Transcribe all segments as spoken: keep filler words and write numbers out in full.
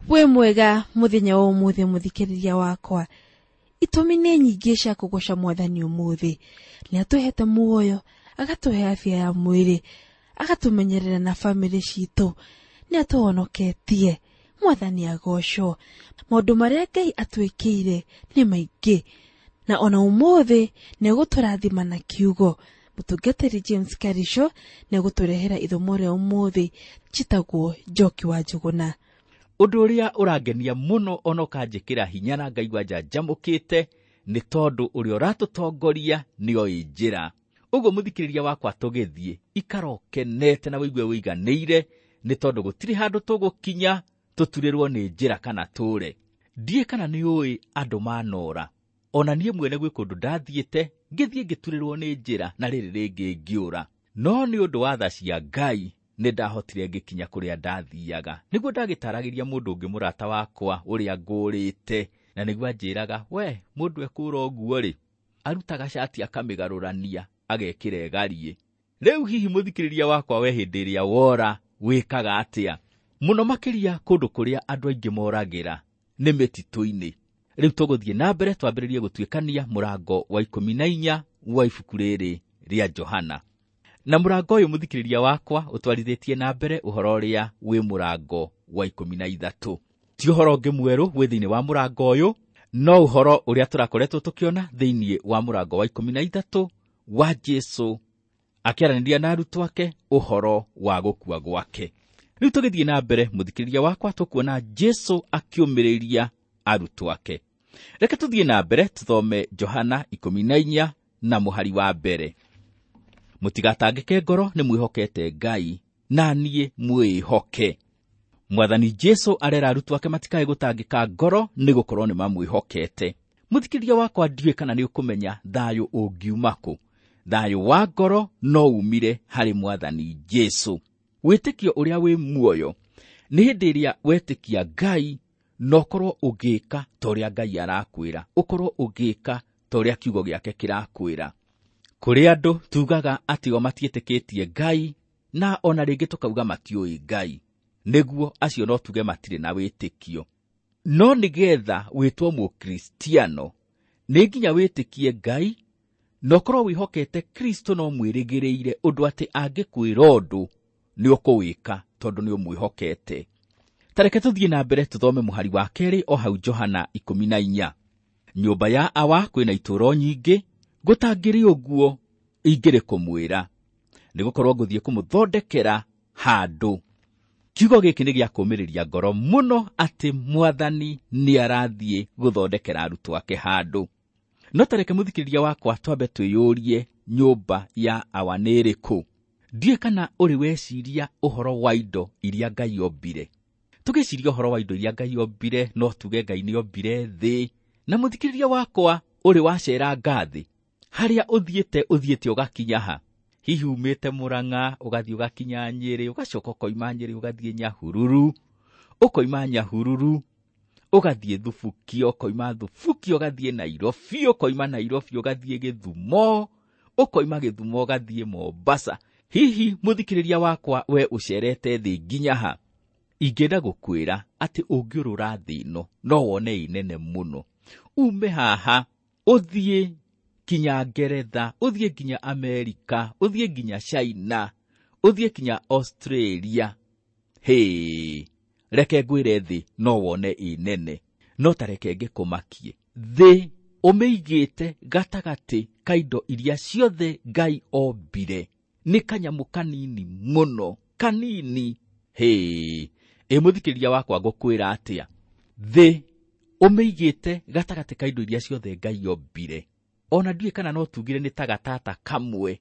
Wĩ mwega mũthenya wa ũmũthĩ mũthikĩrĩria wakwa. Itũmi nĩ nyingĩ cia kũgoca mwathani ũmũthĩ. Nĩ atũhete muoyo, agatũhe afya ya mwĩrĩ, agatũmenyerera na bamĩrĩ citũ, nĩ atũhonoketie. Mwathani agocwo. Maũndũ marĩa Ngai atwĩkĩire nĩ maingĩ, na ona ũmũthĩ nĩ egũtũrathima na kiugo. Mũtungatĩri James Karisho nĩ egũtũrehera ithomo rĩa ũmũthĩ njĩtagwo Njoki wa Njũgũna. Ũndũ ũrĩa ũrangenia mũno ona ũkanjĩkĩra hinya na ngaigua njanjamũkĩte nĩ tondũ ũrĩa ũratũtongoria nĩoĩ njĩra. Ũguo mũthikĩrĩria wakwa tũgĩthiĩ, ikara ũkenete na wĩigue wĩiganĩire nĩ tondũ gũtirĩ handũ tũgũkinya tũturĩrwo nĩ njĩra kana tũre. Ndiĩ kana nĩ ũĩ andũ manora. Ona niĩ mwene gwĩ kũndũ ndathiĩte, ngĩthiĩ ngĩturĩrwo nĩ njĩra na rĩrĩ rĩngĩ ngĩũra. No nĩ ũndũ wa tha cia Ngai nĩ ndahotire ngĩkinya kũrĩa ndathiaga. Nĩguo ndagĩtaragĩria mũndũ ũngĩ mũrata wakwa ũrĩa ngũrĩte, na nĩguo anjĩraga, we mũndũ ekũra ũguo rĩ, arutaga cati akamĩgarũrania agekĩra ĩgariĩ. Rĩu hihi mũthikĩrĩria wakwa we hĩndĩ ĩrĩa wora wĩkaga atĩa? Mũno makĩria kũndũ kũrĩa andũ aingĩ moragĩra nĩ mĩtitũ-inĩ. Rĩu tũgũthiĩ na mbere twambĩrĩrie gũtuĩkania mũrango wa ikũmi na inya wa ibuku rĩrĩ rĩa Johana. Na mũrango ũyũ mũthikĩrĩria wakwa ũtwarithĩtie na mbere ũhoro ũrĩa wĩ mũrango wa ikũmi na ithatũ. Ti ũhoro ũngĩ mwerũ wĩ thĩinĩ wa mũrango ũyũ, no ũhoro ũrĩa tũrakoretwo tũkĩona thĩinĩ wa mũrango wa ikũmi na ithatũ wa Jesũ akĩaranĩria na arutwo ake ũhoro wa gũkua gwake. Rĩu tũgĩthiĩ na mbere mũthikĩrĩria wakwa tũkuona Jesũ akĩũmĩrĩria arutwo ake. Reke tũthiĩ na mbere tũthome Johana ikũmi na inya na mũhari wa mbere. Mũtigatangĩke ngoro nĩ mwĩhokete Ngai, na niĩ mwĩhoke. Mwathani Jesũ arera arutwo ake matikae gũtangĩka ngoro nĩ gũkorwo nĩ mamwĩhokete. Mũthikĩrĩria wakwa ndiũĩ kana nĩ ũkũmenya thayũ ũngiuma kũ. Thayũ wa ngoro no umire harĩ Mwathani Jesũ. Wĩtĩkio ũrĩa wĩ muoyo nĩ hĩndĩ ĩrĩa wetĩkia Ngai na ũkorwo ũgĩka ta ũrĩa Ngai arakwĩra, ũkorwo ũgĩka ta ũrĩa kiugo gĩake kĩrakwĩra. Kũrĩ andũ tugaga atĩ o matiĩtĩkĩtie Ngai na ona rĩngĩ tũkauga matiũĩ Ngai. Nĩguo acio no tuge matirĩ na wĩtĩkio. No nĩgetha wĩtwo mũkristiano nĩ nginya wĩtĩkie Ngai na ũkorwo wĩhokete Kristo no mwĩrĩgĩrĩire ũndũ atĩ angĩkwĩra ũndũ nĩ ũkũwĩka tondũ nĩ ũmwĩhokete. Ta reke tũthiĩ na mbere tũthome mũhari wa kerĩ o hau Johana ikũmi na inya. Nyũmba ya Awa kwĩna itũũro nyingĩ, gũtangĩrĩ ũguo ingĩrĩ kũmwĩra, nĩgũkorwo ngũthiĩ kũmũthondekera handũ. Kiugo gĩkĩ nĩ gĩa kũũmĩrĩria ngoro mũno atĩ Mwathani nĩ arathiĩ gũthondekera arutwo ake handũ. No ta reke mũthikĩrĩria wakwa twambe twĩyũrie nyũmba ya Awa nĩ ĩrĩkũ. Ndiũĩ kana ũrĩ weciria ũhoro wa indo iria Ngai ombire. Tũgĩciria ũhoro wa indo iria Ngai ombire, no tuge Ngai nĩ ombire thĩ. Na mũthikĩrĩria wakwa ũrĩ waceranga thĩ, harĩa ũthiĩte ũthiĩte ũgakinya ha? Hihi umĩte Mũrang'a ũgathiĩ ũgakinya Nyĩrĩ, ũgacoka ũkoima Nyĩrĩ ũgathiĩ Nyahururu, ũkoima Nyahururu ũgathiĩ Thubukia, ũkoima Thubukia ũgathiĩ Nairobi, ũkoima Nairobi ũgathiĩ Gĩthumo, ũkoima Gĩthumo ũgathiĩ Mombasa. Hihi mũthikĩrĩria wakwa we ũcerete thĩ nginya ha? Ingĩenda gũkwĩra atĩ ũngĩũrũra thĩ ĩno no wone ĩ nene mũno. Ume haha ũthiĩ kinya Ngeretha, ũthiĩ nginya Amerika, ũthiĩ nginya China, ũthiĩ nginya Australia. Hĩ, reke ngwĩre thĩ no wone ĩ nene. No ta reke ngĩkũmakie, thĩ ũmĩigĩte gatagatĩ ka indo iria ciothe Ngai ombire nĩ kanyamũ kanini mũno, kanini. Hĩ, ĩ mũthikĩrĩria wakwa ngũkwĩra atĩa? Thĩ ũmĩigĩte gatagatĩ ka indo iria ciothe Ngai ombire. Ona ndiũĩ kana no tugire nĩ ta gatata kamwe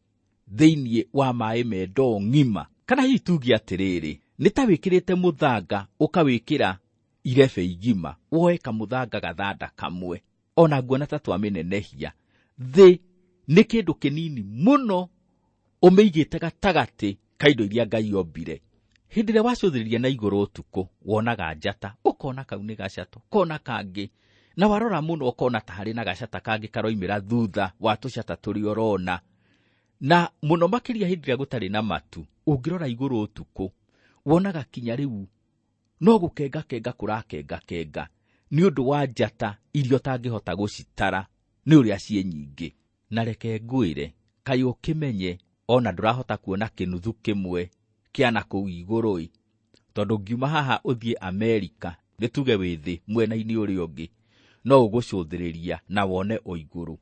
thĩinĩ wa maĩ me ndoo ng'ima. Kana hihi tuge atĩrĩrĩ, nĩ ta wĩkĩrĩte mũthanga ũkawĩkĩra irebe igima, woe kamũthanga gathanda kamwe. Ona nguona ta twamĩnenehia. Thĩ nĩ kĩndũ kĩnini mũno ũmĩigĩte gatagatĩ ka indo iria Ngai ombire. Hĩndĩ ĩrĩa wacũthĩrĩria na igũrũ ũtukũ, wonaga njata, ũkona kau nĩ gacata, ũkona kangĩ, na warora mũno ũkona ta harĩ na gacata kangĩ karoimĩra thutha wa tũcata tũrĩa ũrona. Na mũno makĩria hĩndĩ ĩrĩa gũtarĩ na matu, ũngĩrora igũrũ ũtukũ, wonaga kinya rĩu no gũkengakenga kũrakengakenga nĩ ũndũ wa njata iria ũtangĩhota gũcitara nĩ ũrĩa ciĩ nyingĩ. Na reke ngwĩre, kaĩ ũkĩmenye ona ndũrahota kuona kĩnuthu kĩmwe kĩa na kũu igũrũ-ĩ, tondũ ngiuma haha ũthiĩ Amerika, nĩ tuge wĩ thĩ mwena-inĩ ũrĩa ũngĩ, no ũgũcũthĩrĩria na wone o igũrũ.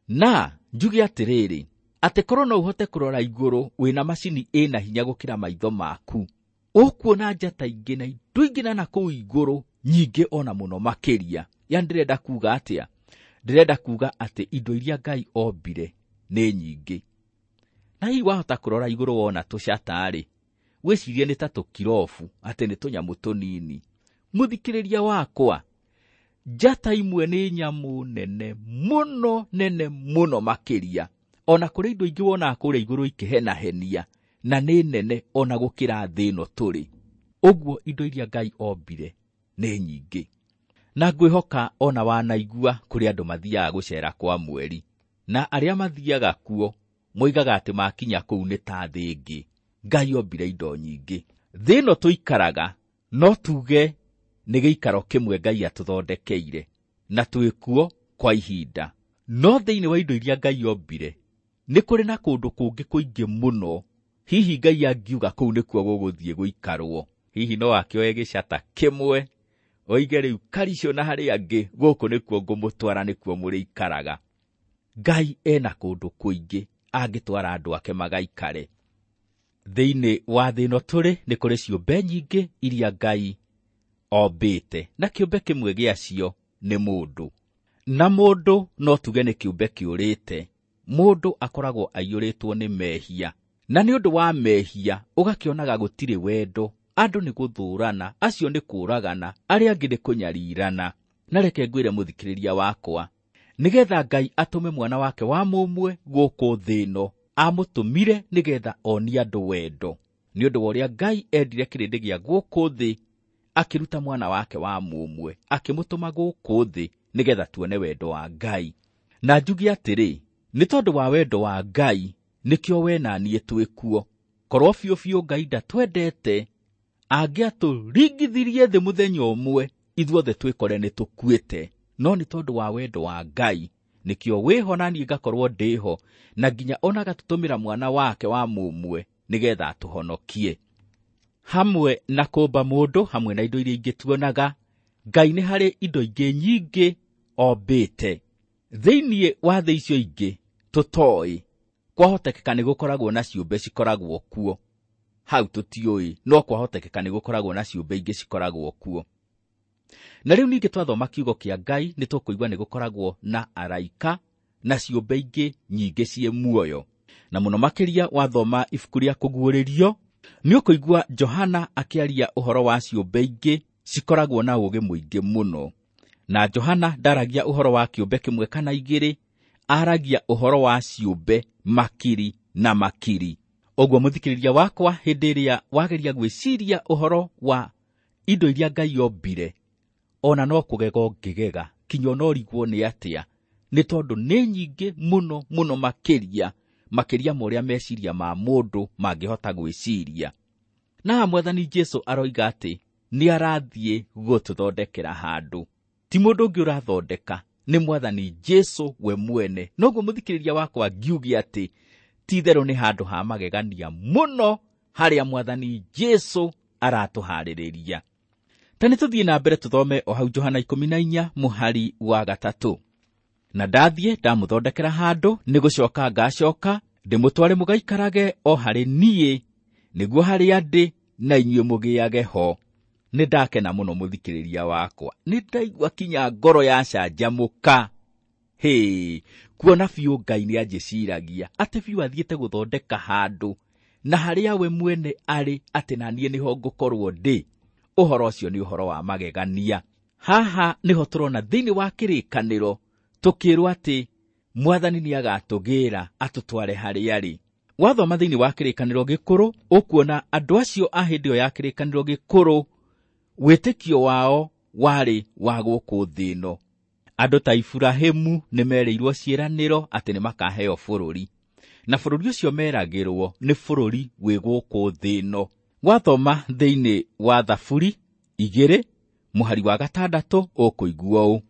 Na njuge atĩrĩrĩ, atĩ korwo no ũhote kũrora igũrũ wĩna macini ĩna hinya gũkĩra maitho maku, ũkuona njata ingĩ na indo ingĩ na nakũu igũrũ nyingĩ ona mũno makĩria. Yani ndĩrenda kuga atĩa? Ndĩrenda kuga atĩ indo iria Ngai ombire nĩ nyingĩ. Na hihi wahota kũrora igũrũ wona tũcata-rĩ, wĩcirie nĩ ta tũkirobu, atĩ nĩ tũnyamũ tũnini. Mũthikĩrĩria wakwa, njata imwe nĩ nyamũ nene mũno, nene mũno makĩria. Ona kũrĩ indo ingĩ wonaga kũrĩa igũrũ ikĩhenahenia, na nĩ nene ona gũkĩra thĩ ĩno tũrĩ. Ũguo indo iria Ngai ombire nĩ nyingĩ. Na ngwĩhoka ona wanaigua kũrĩ andũ mathiaga gũcera kwa mweri, na arĩa mathiaga kuo moigaga atĩ makinya kũu nĩ ta thĩ ĩngĩ. Ngai ombire indo nyingĩ. Thĩ ĩno tũikaraga no tuge nĩ gĩikaro kĩmwe Ngai atũthondekeire, na twĩkuo kwa ihinda. No thĩinĩ wa indo iria Ngai ombire nĩ kũrĩ na kũndũ kũngĩ kũingĩ mũno. Hihi Ngai angiuga kũu nĩkuo gũgũthiĩ gũikarwo, hihi no akĩoe gĩcata kĩmwe oige rĩu karicio na harĩa angĩ, gũkũ nĩkuo ngũmũtwara, nĩkuo mũrĩikaraga. Ngai ena kũndũ kũingĩ angĩtwara andũ ake magaikare. Thĩinĩ wa thĩ ĩno tũrĩ nĩ kũrĩ ciũmbe nyingĩ iria Ngai ombĩte, na kĩũmbe kĩmwe gĩacio nĩ mũndũ. Na mũndũ no tuge nĩ kĩũmbe kĩũrĩte. Mũndũ akoragwo aiyũrĩtwo nĩ mehia, na nĩ ũndũ wa mehia ũgakĩonaga gũtirĩ wendo. Andũ nĩ gũthũrana, acio nĩ kũũragana, arĩa angĩ nĩ kũnyarirana. Na reke ngwĩre mũthikĩrĩria wakwa, nĩgetha Ngai atũme mwana wake wa mũmwe gũkũ thĩ ĩno, amũtũmire nĩgetha onie andũ wendo. Nĩ ũndũ wa ũrĩa Ngai endire kĩrĩndĩ gĩa gũkũ thĩ, akĩruta mwana wake wa mũmwe, akĩmũtũma gũkũ thĩ nĩgetha tuone wendo wa Ngai. Na njuge atĩrĩ, nĩ tondũ wa wendo wa Ngai nĩkĩo we na niĩ twĩkuo. Korwo biũ biũ Ngai ndatwendete, angĩatũringithirie thĩ mũthenya ũmwe, ithuothe twĩkore nĩ tũkuĩte. No nĩ tondũ wa wendo wa Ngai nĩkĩo wĩho na niĩ ngakorwo ndĩho, na nginya ona agatũtũmĩra mwana wake wa mũmwe nĩgetha atũhonokie. Hamwe na kũmba mũndũ, hamwe na indo iria ingĩ tuonaga, Ngai nĩ harĩ indo ingĩ nyingĩ ombĩte. Thĩinĩ wa thĩ icio ingĩ tũtoĩ, kwahotekeka nĩ gũkoragwo na ciũmbe cikoragwo kuo. Hau tũtiũĩ, no kwahotekeka nĩ gũkoragwo na ciũmbe ingĩ cikoragwo kuo. Na rĩu ningĩ twathoma kiugo kĩa Ngai nĩ tũkũigua nĩ gũkoragwo na araika na ciũmbe ingĩ nyingĩ ciĩ muoyo. Na mũno makĩria wathoma ibuku rĩa Kũguũrĩrio, nĩ ũkũigua Johana akĩaria ũhoro wa ciũmbe ingĩ cikoragwo na ũũgĩ mũingĩ mũno. Na Johana ndaragia ũhoro wa kĩũmbe kĩmwe kana igĩrĩ, aragia ũhoro wa ciũmbe makiri na makiri. Ũguo mũthikĩrĩria wakwa, hĩndĩ ĩrĩa wageria gwĩciria ũhoro wa indo iria Ngai ombire, ona no kũgega ũngĩgega, kinya ona ũrigwo nĩ atĩa, nĩ tondũ nĩ nyingĩ mũno mũno makĩria, makĩria ma ũrĩa meciria ma mũndũ mangĩhota gwĩciria. Na Mwathani Jesũ aroiga atĩ nĩ arathiĩ gũtũthondekera handũ. Ti mũndũ ũngĩ ũrathondeka, nĩ Mwathani Jesũ we mwene. Noguo mũthikĩrĩria wakwa ngiuge atĩ ti itherũ nĩ handũ ha magegania mũno harĩa Mwathani Jesũ aratũharĩrĩria. Ta nĩ tũthiĩ na mbere tũthome o hau Johana ikũmi na inya mũhari wa gatatũ. Na ndathiĩ ndamũthondekera handũ, nĩ gũcoka ngacoka ndĩmũtware mũgaikarage o harĩ niĩ, nĩguo harĩa ndĩ na inyuĩ mũgĩage ho. Nĩ ndakena mũno mũthikĩrĩria wakwa, nĩ ndaigua kinya ngoro yacanjamũka. Hĩ, kuona biũ Ngai nĩ anjĩciragia atĩ biũ athiĩte gũthondeka handũ na harĩa we mwene arĩ, atĩ na niĩ nĩho ngũkorwo ndĩ. Ũhoro ũcio nĩ ũhoro wa magegania. Haha nĩho tũrona thĩinĩ wa kĩrĩkanĩro tũkĩrwo atĩ Mwathani nĩ agatũgĩra atũtware harĩa arĩ. Wathoma thĩinĩ wa kĩrĩkanĩro gĩkũrũ, ũkuona andũ acio a hĩndĩ ĩyo ya kĩrĩkanĩro gĩkũrũ wĩtĩkio wao warĩ wa gũkũ thĩ ĩno. Andũ ta Iburahĩmu nĩ merĩirwo ciĩranĩro atĩ nĩ makaheo bũrũri, na bũrũri ũcio meragĩrwo nĩ bũrũri wĩ gũkũ thĩ ĩno. Wathoma thĩinĩ wa Thaburi igĩrĩ mũhari wa gatandatũ ũkũigua ũũ: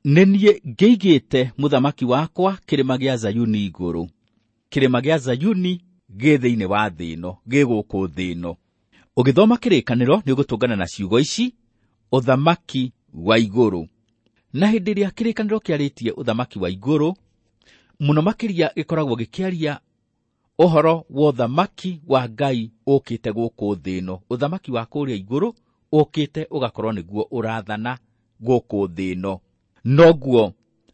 nĩ niĩ ngĩigĩte mũthamaki wakwa kĩrĩma gĩa Zayuni igũrũ. Kĩrĩma gĩa Zayuni gĩ thĩinĩ wa thĩ ĩno, gĩ gũkũ thĩ ĩno. Ũgĩthoma kĩrĩkanĩro nĩ ũgũtũngana na ciugo ici, ũthamaki wa igũrũ. Na hĩndĩ ĩrĩa kĩrĩkanĩro kĩarĩtie ũthamaki wa igũrũ, mũno makĩria gĩkoragwo gĩkĩaria ũhoro wa ũthamaki wa Ngai ũkĩte gũkũ thĩ ĩno. Ũthamaki wa kũrĩa igũrũ ũkĩte ũgakorwo nĩguo ũrathana gũkũ thĩ ĩno. Noguo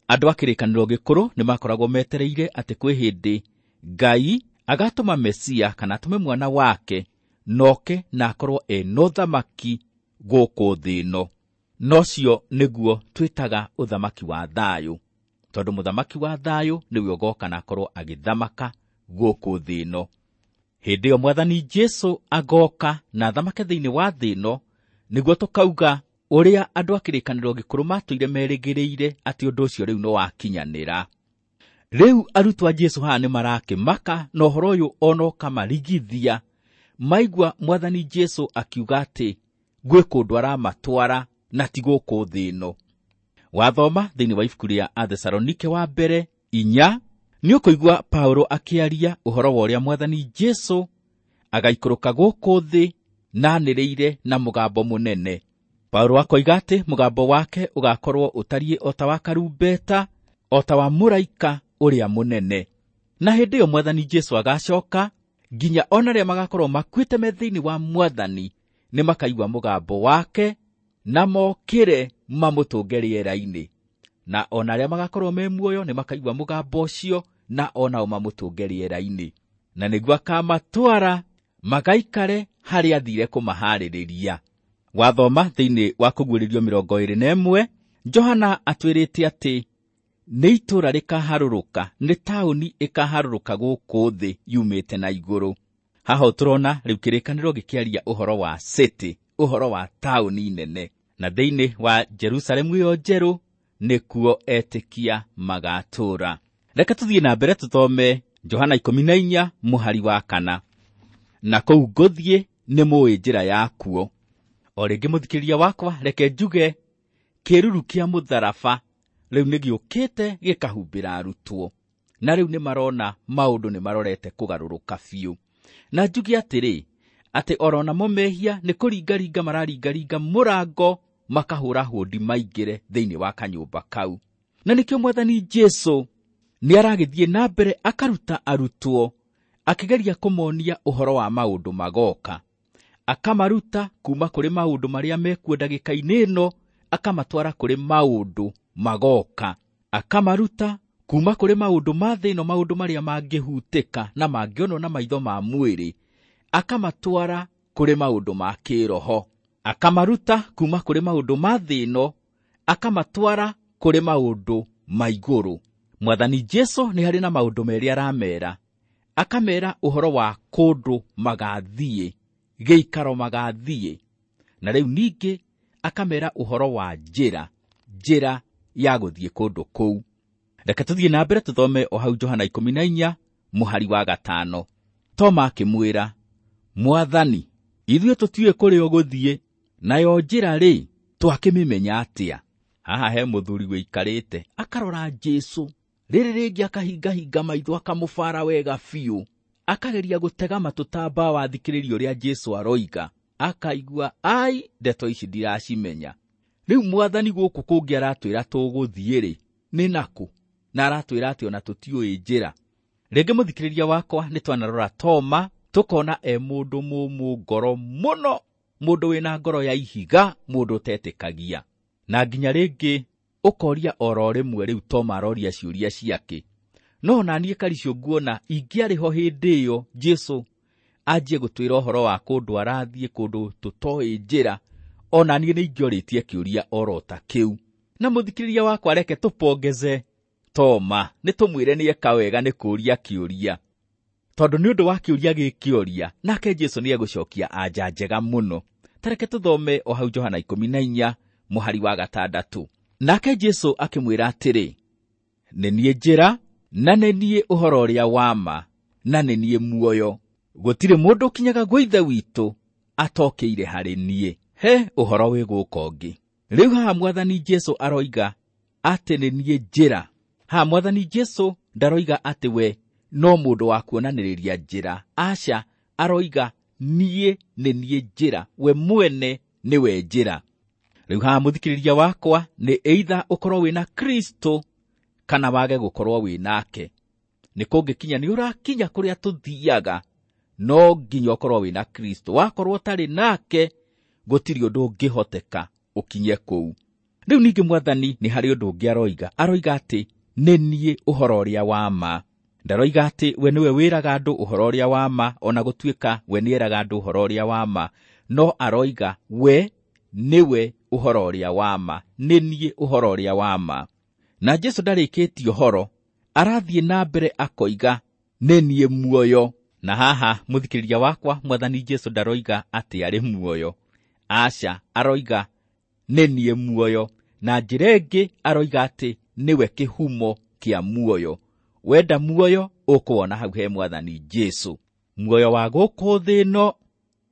andũ a kĩrĩkanĩro gĩkũrũ nĩ makoragwo metereire atĩ kwĩ hĩndĩ Ngai agatũma Mesia kana atũme mwana wake noke na akorwo ena ũthamaki gũkũ thĩ ĩno. Nocio nĩguo twĩtaga ũthamaki wa thayũ, tondũ mũthamaki wa thayũ nĩwe ũgoka na akorwo agĩthamaka gũkũ thĩ ĩno. Hĩndĩ ĩyo Mwathani Jesũ agoka na athamake thĩinĩ wa thĩ ĩno, nĩguo tũkauga ũrĩa andũ a kĩrĩkanĩro gĩkũrũ matũire merĩgĩrĩire atĩ ũndũ ũcio rĩu nĩwakinyanĩra. Rĩu arutwo a Jesũ haha nĩ marakĩmaka na ũhoro ũyũ ona ũkamarigithia. Maigua Mwathani Jesũ akiuga atĩ gwĩ kũndũ aramatwara na ti gũkũ thĩ ĩno. Wathoma thĩinĩ wa ibuku rĩa Athesalonike wa mbere inya, nĩ ũkũigua Paulo akĩaria ũhoro wa ũrĩa Mwathani Jesũ agaikũrũka gũkũ thĩ na anĩrĩire na mũgambo mũnene. Paulo akoiga atĩ mũgambo wake ũgakorwo ũtariĩ o ta wa karumbeta, o ta wa mũraika ũrĩa mũnene. Na hĩndĩ ĩyo Mwathani Jesũ agacoka, nginya ona arĩa magakorwo makuĩte me thĩinĩ wa Mwathani nĩ makaigua mũgambo wake na mokĩre mamũtũnge rĩera-inĩ. Na ona arĩa magakorwo me muoyo nĩ makaigua mũgambo ũcio na onao mamũtũnge rĩera-inĩ. Na nĩguo akamatwara magaikare harĩa athire kũmaharĩrĩria. Wathoma thĩinĩ wa Kũguũrĩrio mĩrongo ĩrĩ na ĩmwe, Johana atwĩrĩte atĩ nĩ itũũra rĩkaharũrũka, nĩ taũni ĩkaharũrũka gũkũ thĩ yumĩte na igũrũ. Haha tũrona rĩu kĩrĩkanĩro gĩkĩaria ũhoro wa city, ũhoro wa taũni nene. Na thĩinĩ wa Jerusalemu ĩyo njerũ nĩkuo etĩkia magatũũra. Reke tũthiĩ na mbere tũthome Johana ikũmi na inya mũhari wa kana. Na kũu ngũthiĩ nĩ mũĩ njĩra yakuo. O rĩngĩ mũthikĩrĩria wakwa, reke njuge kĩruru kĩa mũtharaba rĩu nĩ gĩũkĩte gĩkahumbĩra arutwo, na rĩu nĩ marona maũndũ nĩ marorete kũgarũrũka biũ. Na njuge atĩrĩ, atĩ oro namo mehia nĩ kũringaringa mararingaringa mũrango makahũra hũndi maingĩre thĩinĩ wa kanyũmba kau. Na nĩkĩo Mwathani Jesũ nĩ aragĩthiĩ na mbere akaruta arutwo, akĩgeria kũmonia ũhoro wa maũndũ magoka. Akamaruta kuma kũrĩ maũndũ marĩa mekuo ndagĩka-inĩ ĩno, akamatwara kũrĩ maũndũ magoka. Akamaruta kuma kũrĩ maũndũ ma thĩ ĩno, maũndũ marĩa mangĩhutĩka na mangĩonwo na maitho ma mwĩrĩ, akamatwara kũrĩ maũndũ ma kĩroho. Akamaruta kuma kũrĩ maũndũ ma thĩ ĩno, akamatwara kũrĩ maũndũ ma igũrũ. Mwathani Jesũ nĩ harĩ na maũndũ merĩ aramera. Akamera ũhoro wa kũndũ magathiĩ, gĩikaro magathiĩ. Na rĩu ningĩ akamera ũhoro wa njĩra, njĩra ya gũthiĩ kũndũ kũu. Reke tũthiĩ na mbere tũthome o hau Johana ikũmi na inya mũhari wa gatano. Toma akĩmwĩra, Mwathani, ithuĩ tũtiũĩ kũrĩa ũgũthiĩ, nayo njĩra rĩ, twakĩmĩmenya atĩa? Haha he mũthuri wĩikarĩte akarora Jesũ, rĩrĩ rĩngĩ akahingahinga maitho akamũbara wega biũ, akageria gũtega matũ ta mbawa athikĩrĩrie ũrĩa Jesũ aroiga, akaigua ai, ndeto ici ndiracimenya. Rĩu Mwathani gũkũ kũngĩ aratwĩra tũgũthiĩ rĩ, nĩ nakũ? Na aratwĩra atĩ ona tũtiũĩ njĩra. Rĩngĩ mũthikĩrĩria wakwa, nĩ twanarora Toma, tũkona e mũndũ mũmũ ngoro mũno, mũndũ wĩna ngoro ya ihiga, mũndũ ũtetĩkagia. Na nginya rĩngĩ ũkoria oro rĩmwe rĩu Toma aroria ciũria ciake. No ona niĩ Karicũ nguona ingĩarĩ ho hĩndĩ ĩyo Jesũ anjie gũtwĩra ũhoro wa kũndũ arathiĩ, kũndũ tũtoĩ njĩra, ona niĩ nĩ ingĩorĩtie kĩũria oro ta kĩu. Na mũthikĩrĩria wakwa, reke tũpongeze Toma, nĩ tũmwĩre nĩ eka wega nĩ kũũria kĩũria, tondũ nĩ ũndũ wa kĩũria gĩkĩoria nake Jesũ nĩ egũcokia anja njega mũno. Ta reke tũthome o hau Johana ikũmi na inya mũhari wa gatandatũ. Nake Jesũ akĩmwĩra atĩrĩ, nĩ niĩ njĩra, na nĩ niĩ ũhoro ũrĩa wa ma, na nĩ niĩ muoyo. Gũtirĩ mũndũ ũkinyaga gwa Ithe witũ atokĩire harĩ niĩ. He ũhoro wĩ gũka ũngĩ. Rĩu haha Mwathani Jesũ aroiga atĩ nĩ niĩ njĩra. Haha Mwathani Jesũ ndaroiga atĩ we no mũndũ wa kuonanĩrĩria njĩra. Aca, aroiga niĩ nĩ niĩ njĩra, we mwene nĩwe njĩra. Rĩu haha mũthikĩrĩria wakwa nĩ either ũkorwo wĩna Kristo kana wage gũkorwo wĩ nake. Nĩ kũngĩkinya nĩ ũrakinya kũrĩa tũthiaga, no nginya ũkorwo wĩna Kristo. Wakorwo ũtarĩ nake, gũtirĩ ũndũ ũngĩhoteka ũkinye kũu. Rĩu ningĩ Mwathani nĩ harĩ ũndũ ũngĩ aroiga. Aroiga atĩ nĩ niĩ ũhoro ũrĩa wa ma. Ndaroiga atĩ we nĩwe wĩraga andũ ũhoro ũrĩa wa ma, ona gũtuĩka we nĩeraga andũ ũhoro ũrĩa wa ma, no aroiga we nĩwe ũhoro ũrĩa wa ma, nĩ niĩ ũhoro ũrĩa wa ma. Na Jesũ ndarĩkĩtie ũhoro, arathiĩ na mbere akoiga nĩ niĩ muoyo. Na haha mũthikĩrĩria wakwa, Mwathani Jesũ ndaroiga atĩ arĩ muoyo. Aca, aroiga nĩ niĩ muoyo. Na njĩra ĩngĩ aroiga atĩ nĩwe kĩhumo kĩa muoyo. Wenda muoyo ũkũwona hau he Mwathani Jesũ. Muoyo wa gũkũ thĩ ĩno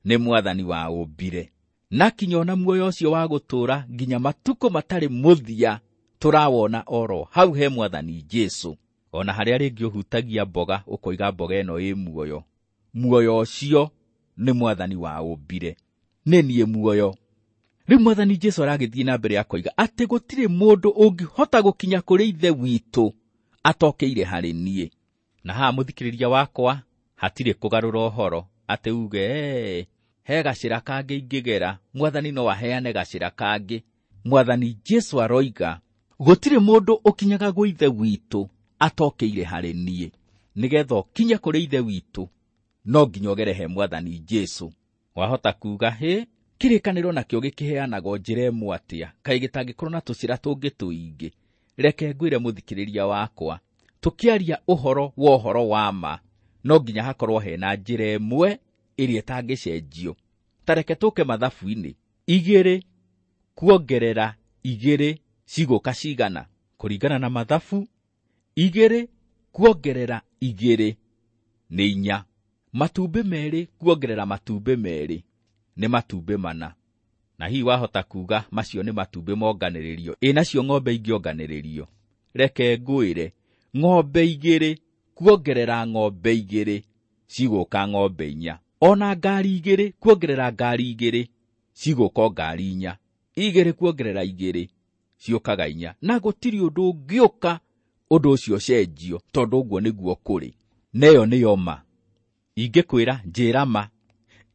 nĩ Mwathani waũmbire, na kinya ona muoyo ũcio wa gũtũũra nginya matukũ matarĩ mũthia tũrawona oro hau he Mwathani Jesũ. Ona harĩa rĩngĩ ũhutagia mboga ũkoiga mboga ĩno ĩ muoyo, muoyo ũcio nĩ Mwathani waũmbire, nĩ niĩ muoyo. Rĩu Mwathani Jesũ aragĩthiĩ na mbere akoiga atĩ gũtirĩ mũndũ ũngĩhota gũkinya kũrĩ Ithe witũ atokĩire harĩ niĩ. Na haha mũthikĩrĩria wakwa hatirĩ kũgarũra ũhoro atĩ uge ee, he gacĩra kangĩ ingĩgera, Mwathani no aheane gacĩra kangĩ. Mwathani Jesũ aroiga gũtirĩ mũndũ ũkinyaga gwĩ Ithe witũ atokĩire harĩ niĩ. Nĩgetha ũkinye kũrĩ Ithe witũ no nginya ũgere he Mwathani Jesũ. Wahota kuga hĩ, kĩrĩkanĩro nakĩo gĩkĩheanagwo njĩra ĩmwe atĩa, kaĩ gĩtangĩkorwo na tũcĩra tũngĩ tũingĩ? Reke ngwĩre mũthikĩrĩria wakwa, tũkĩaria ũhoro wa ũhoro wa ma no nginya hakorwo hena njĩra ĩmwe ĩrĩa ĩtangĩcenjio. Ta reke tũke mathabu-inĩ, igĩrĩ kuongerera igĩrĩ cigũka cigana? Kũringana na mathabu, igĩrĩ kuongerera igĩrĩ nĩ inya. Matumbĩ merĩ kuongerera matumbĩ merĩ nĩ matumbĩ mana. Na hihi wahota kuga macio nĩ matumbĩ monganĩrĩrio, ĩ nacio ng'ombe ingĩonganĩrĩrio? Reke ngwĩre, ng'ombe igĩrĩ kuongerera ng'ombe igĩrĩ cigũka ng'ombe inya. Ona ngari igĩrĩ kuongerera ngari igĩrĩ cigũka o ngari inya. Igĩrĩ kuongerera igĩrĩ ciũkaga inya. Na gũtirĩ ũndũ ũngĩũka ũndũ ũcio ũcenjio, tondũ ũguo nĩguo kũrĩ. Na ĩyo nĩyo ma. Ingĩkwĩra njĩra ma,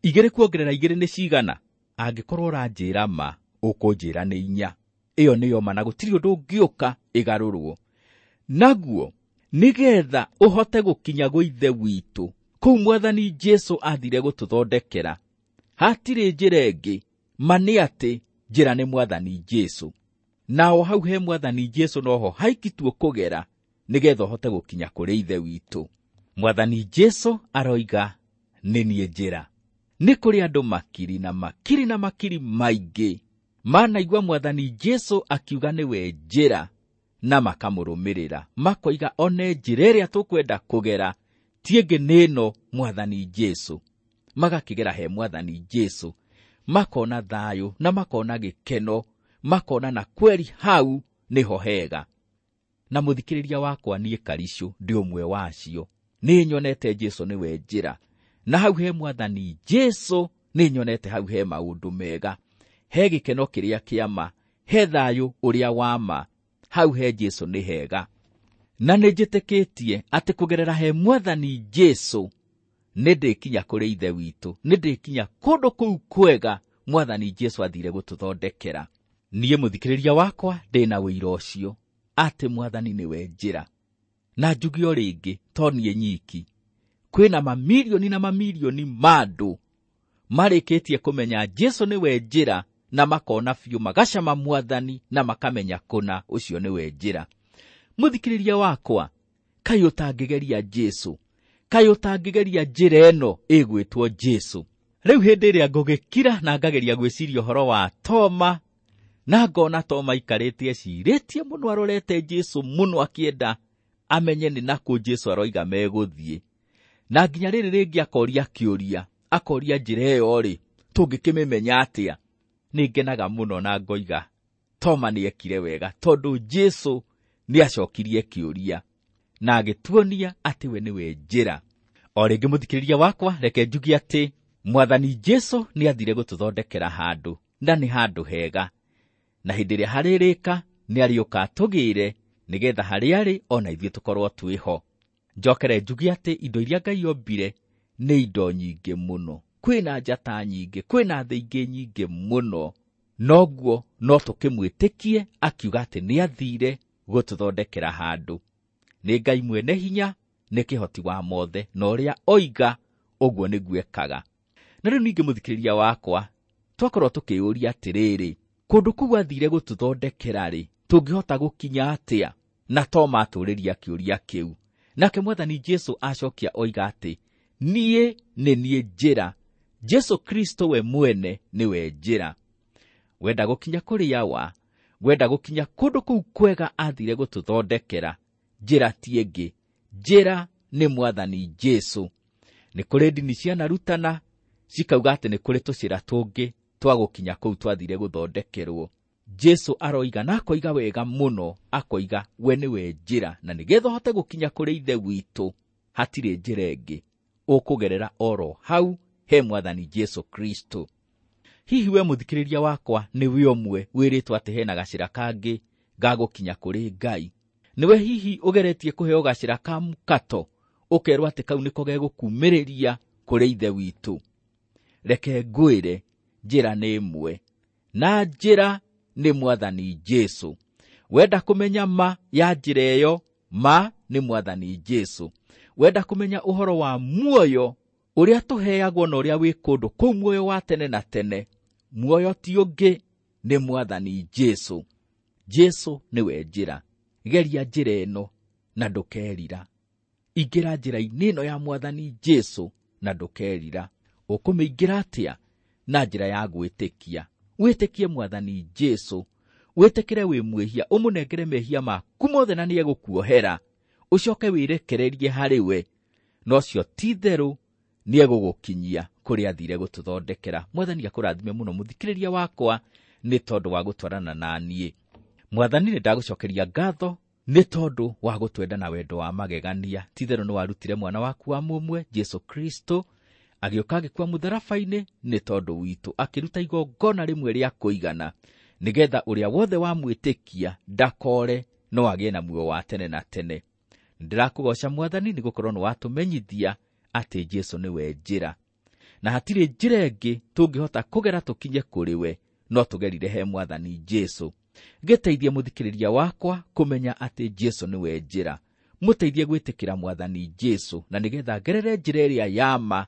igĩrĩ kuongerera igĩrĩ nĩ cigana? Angĩkorwo ũranjĩra ma, ũkũnjĩra nĩ inya. Ĩyo nĩyo ma, na gũtirĩ ũndũ ũngĩũka ĩgarũrwo. Naguo nĩgetha ũhote gũkinya gwĩ Ithe witũ, kũu Mwathani Jesũ athire gũtũthondekera, hatirĩ njĩra ĩngĩ, ma nĩ atĩ njĩra nĩ Mwathani Jesũ. Nao hau he Mwathani Jesũ noho haiki tu ũkũgera nĩgetha ũhote gũkinya kũrĩ Ithe witũ. Mwathani Jesũ aroiga nĩ niĩ njĩra. Nĩ kũrĩ andũ makiri na makiri na makiri maingĩ manaigua Mwathani Jesũ akiuga nĩwe njĩra na makamũrũmĩrĩra, makoiga one njĩra ĩrĩa tũkwenda kũgera ti ĩngĩ nĩ ĩno Mwathani Jesũ. Magakĩgera he Mwathani Jesũ, makona thayũ na makona gĩkeno, makona na kweri hau nĩho hega. Na mũthikĩrĩria wakwa niĩ Karicũ ndĩ ũmwe wacio. Nĩ nyonete Jesũ nĩwe njĩra, na hau he Mwathani Jesũ nĩ nyonete hau he maũndũ mega, he gĩkeno kĩrĩa kĩa ma, he thayũ ũrĩa wa ma, hau he Jesũ nĩ hega. Na nĩ njĩtĩkĩtie atĩ kũgerera he Mwathani Jesũ nĩ ndĩkinya kũrĩ Ithe witũ, nĩ ndĩkinya kũndũ kũu kwega Mwathani Jesũ athire gũtũthondekera. Niĩ mũthikĩrĩria wakwa ndĩna ũira ũcio atĩ Mwathani nĩwe njĩra. Na njuge o rĩngĩ, to niĩ nyiki, kwĩna mamirioni na mamirioni ma andũ marĩkĩtie kũmenya Jesũ nĩwe njĩra, na makona biũ, magacama Mwathani na makamenya kũna ũcio nĩwe njĩra. Mũthikĩrĩria wakwa, kaĩ ũtangĩgeria Jesũ? Kaĩ ũtangĩgeria njĩra ĩno ĩgwĩtwo Jesũ? Rĩu hĩndĩ ĩrĩa ngũgĩkira na ngageria gwĩciria ũhoro wa Toma, na ngona Toma aikarĩte ecirĩtie mũno, arorete Jesũ mũno, akĩenda amenye nĩ nakũ Jesũ aroiga megũthiĩ. Na nginya rĩrĩ rĩngĩ akoria kĩũria, akoria njĩra ĩyo rĩ, tũngĩkĩmĩmenya atĩa? Nĩ ngenaga mũno na ngoiga Toma nĩ ekire wega, tondũ Jesũ nĩ acokirie kĩũria na agĩtuonia atĩ we nĩwe njĩra. O rĩngĩ mũthikĩrĩria wakwa, reke njuge atĩ Mwathani Jesũ nĩ athire gũtũthondekera handũ, na nĩ handũ hega, na hĩndĩ ĩrĩa harĩrĩka nĩ arĩũka atũgĩre, nĩgetha harĩa arĩ ona ithuĩ tũkorwo twĩho. Njokere njuge atĩ indo iria Ngai ombire nĩ indo nyingĩ mũno, kwĩna njata nyingĩ, kwĩna thĩ ingĩ nyingĩ mũno, noguo no tũkĩmwĩtĩkie akiuga atĩ nĩ athire gũtũthondekera handũ. Nĩ Ngai mwene hinya, nĩ kĩhoti wa mothe, na ũrĩa oiga ũguo nĩguo ekaga. Na rĩu ningĩ mũthikĩrĩria wakwa, twakorwo tũkĩyũria atĩrĩrĩ, kũndũ kũu athire gũtũthondekera rĩ, tũngĩhota gũkinya atĩa? Na Toma atũũrĩria kĩũria kĩu. Nake Mwathani Jesũ acokia oiga atĩ niĩ nĩ niĩ njĩra. Jesũ Kristo we mwene nĩwe njĩra. Wenda gũkinya kũrĩ Awa, wenda gũkinya kũndũ kũu kwega athire gũtũthondekera, njĩra ti ĩngĩ, njĩra nĩ Mwathani Jesũ. Nĩ kũrĩ ndini cianarutana cikauga atĩ nĩ kũrĩ tũcĩra tũngĩ twa gũkinya kũu twathire gũthondekerwo. Jesũ aroiga na akoiga wega mũno, akoiga we nĩwe njĩra, na nĩgetha ũhote gũkinya kũrĩ Ithe witũ hatirĩ njĩra ĩngĩ, ũkũgerera oro hau he Mwathani Jesũ Kristo. Hihi we mũthikĩrĩria wakwa nĩwe ũmwe wĩrĩtwo atĩ hena gacĩra kangĩ ga gũkinya kũrĩ Ngai? Nĩwe hihi ũgeretie kũheo gacĩra ka mũkato, ũkerwo atĩ kau nĩko gegũkumĩrĩria kũrĩ Ithe witũ? Reke ngwĩre, njĩra nĩ ĩmwe, na njĩra nĩ Mwathani Jesũ. Wenda kũmenya ma ya njĩra ĩyo, ma nĩ Mwathani Jesũ. Wenda kũmenya ũhoro wa muoyo ũrĩa tũheagwo na ũrĩa wĩ kũndũ kũu muoyo wa tene na tene, muoyo ti ũngĩ, nĩ Mwathani Jesũ. Jesũ nĩwe njĩra. Geria njĩra ĩno na ndũkerira. Ingĩra njĩra-inĩ ĩno ya Mwathani Jesũ na ndũkerira. Ũkũmĩingĩra atĩa? Na njĩra ya gwĩtĩkia. Wĩtĩkie Mwathani Jesũ, wĩtĩkĩre wĩ mwĩhia, ũmũnengere mehia maku mothe na nĩegũkuohera, ũcoke wĩrekererie harĩ we, na ũcio ti itherũ nĩegũgũkinyia kũrĩa athire gũtũthondekera. Mwathani akũrathime mũno mũthikĩrĩria wakwa nĩ tondũ wa gũtwarana na niĩ. Mwathani, nĩ ndagũcokeria ngatho nĩ tondũ wa gũtwenda na wendo wa magegania. Ti itherũ nĩ warutire mwana waku wa mũmwe Jesũ Kristo, agĩũka agĩkua mũtharaba-inĩ nĩ tondũ witũ, akĩruta igongona rĩmwe rĩa kũigana, nĩgetha ũrĩa wothe wamwĩtĩkia ndakore no agĩe na muoyo wa tene na tene. Ndĩrakũgoca Mwathani nĩ gũkorwo nĩ watũmenyithia atĩ Jesũ nĩwe njĩra, na hatirĩ njĩra ĩngĩ tũngĩhota kũgera tũkinye kũrĩ we, no tũgerire he Mwathani Jesũ. Gĩteithie mũthikĩrĩria wakwa kũmenya atĩ Jesũ nĩwe njĩra. Mũteithie gwĩtĩkĩra Mwathani Jesũ, na nĩgetha ngerere njĩra ĩrĩa ya ma,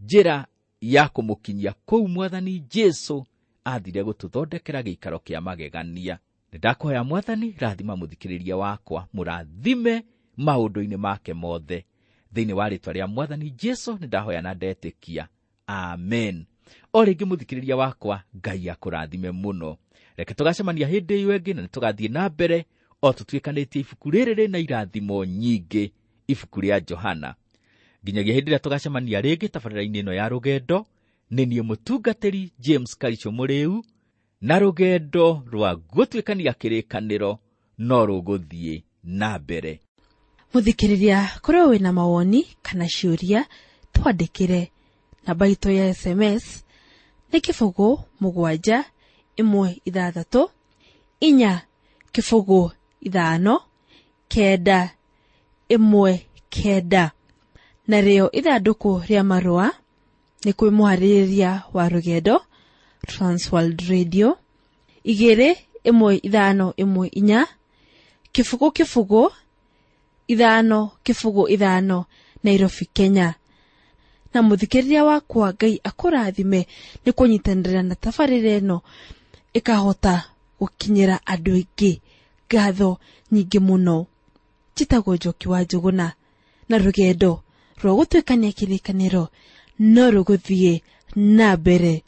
njĩra ya kũmũkinyia kũu Mwathani Jesũ athire gũtũthondekera gĩikaro kĩa magegania. Nĩndakũhoya Mwathani, rathima mũthikĩrĩria wakwa, mũrathime maũndũ-inĩ make mothe. Thĩinĩ wa rĩtwa rĩa Mwathani Jesũ nĩndahoya na ndetĩkia, amen. O rĩngĩ mũthikĩrĩria wakwa, Ngai akũrathime mũno. Reke tũgacemania hĩndĩ ĩyo ĩngĩ, na nĩtũgathiĩ na mbere o tũtuĩkanĩtie ibuku rĩrĩ rĩna irathimo nyingĩ, ibuku rĩa Johana. Nginyagia hĩndĩ ĩrĩa tũgacemania rĩngĩ tabarĩra-inĩ ĩno ya rũgendo, nĩ niĩ mũtungatĩri James Karicho Mũrĩu, na rũgendo rwa gũtuĩkania kĩrĩkanĩro no rũgũthiĩ na mbere. Mũthikĩrĩria, korwo wĩna mawoni kana ciũria, twandĩkĩre. Namba itũ ya S M S nĩ kĩbũgũ mũgwanja ĩmwe ithathatũ inya kĩbũgũ ithano kenda ĩmwe kenda. Narĩo ithandũkũ rĩa marũa nĩ kwĩ mũharĩrĩria wa rũgendo Transworld Radio igĩrĩ ĩmwe ithano ĩmwe inya kĩbũgũ kĩbũgũ ithano kĩbũgũ ithano Nairobi, Kenya. Na mũthikĩrĩria wakwa, Ngai akũrathime nĩ kũnyitanĩra na tabarĩra ĩno ĩkahota gũkinyĩra andũ aingĩ. Ngatho nyingĩ mũno. Njĩtagwo Njoki wa Njũgũna, na rũgendo rwa gũtuĩkania kĩrĩkanĩro no rũgũthiĩ na mbere.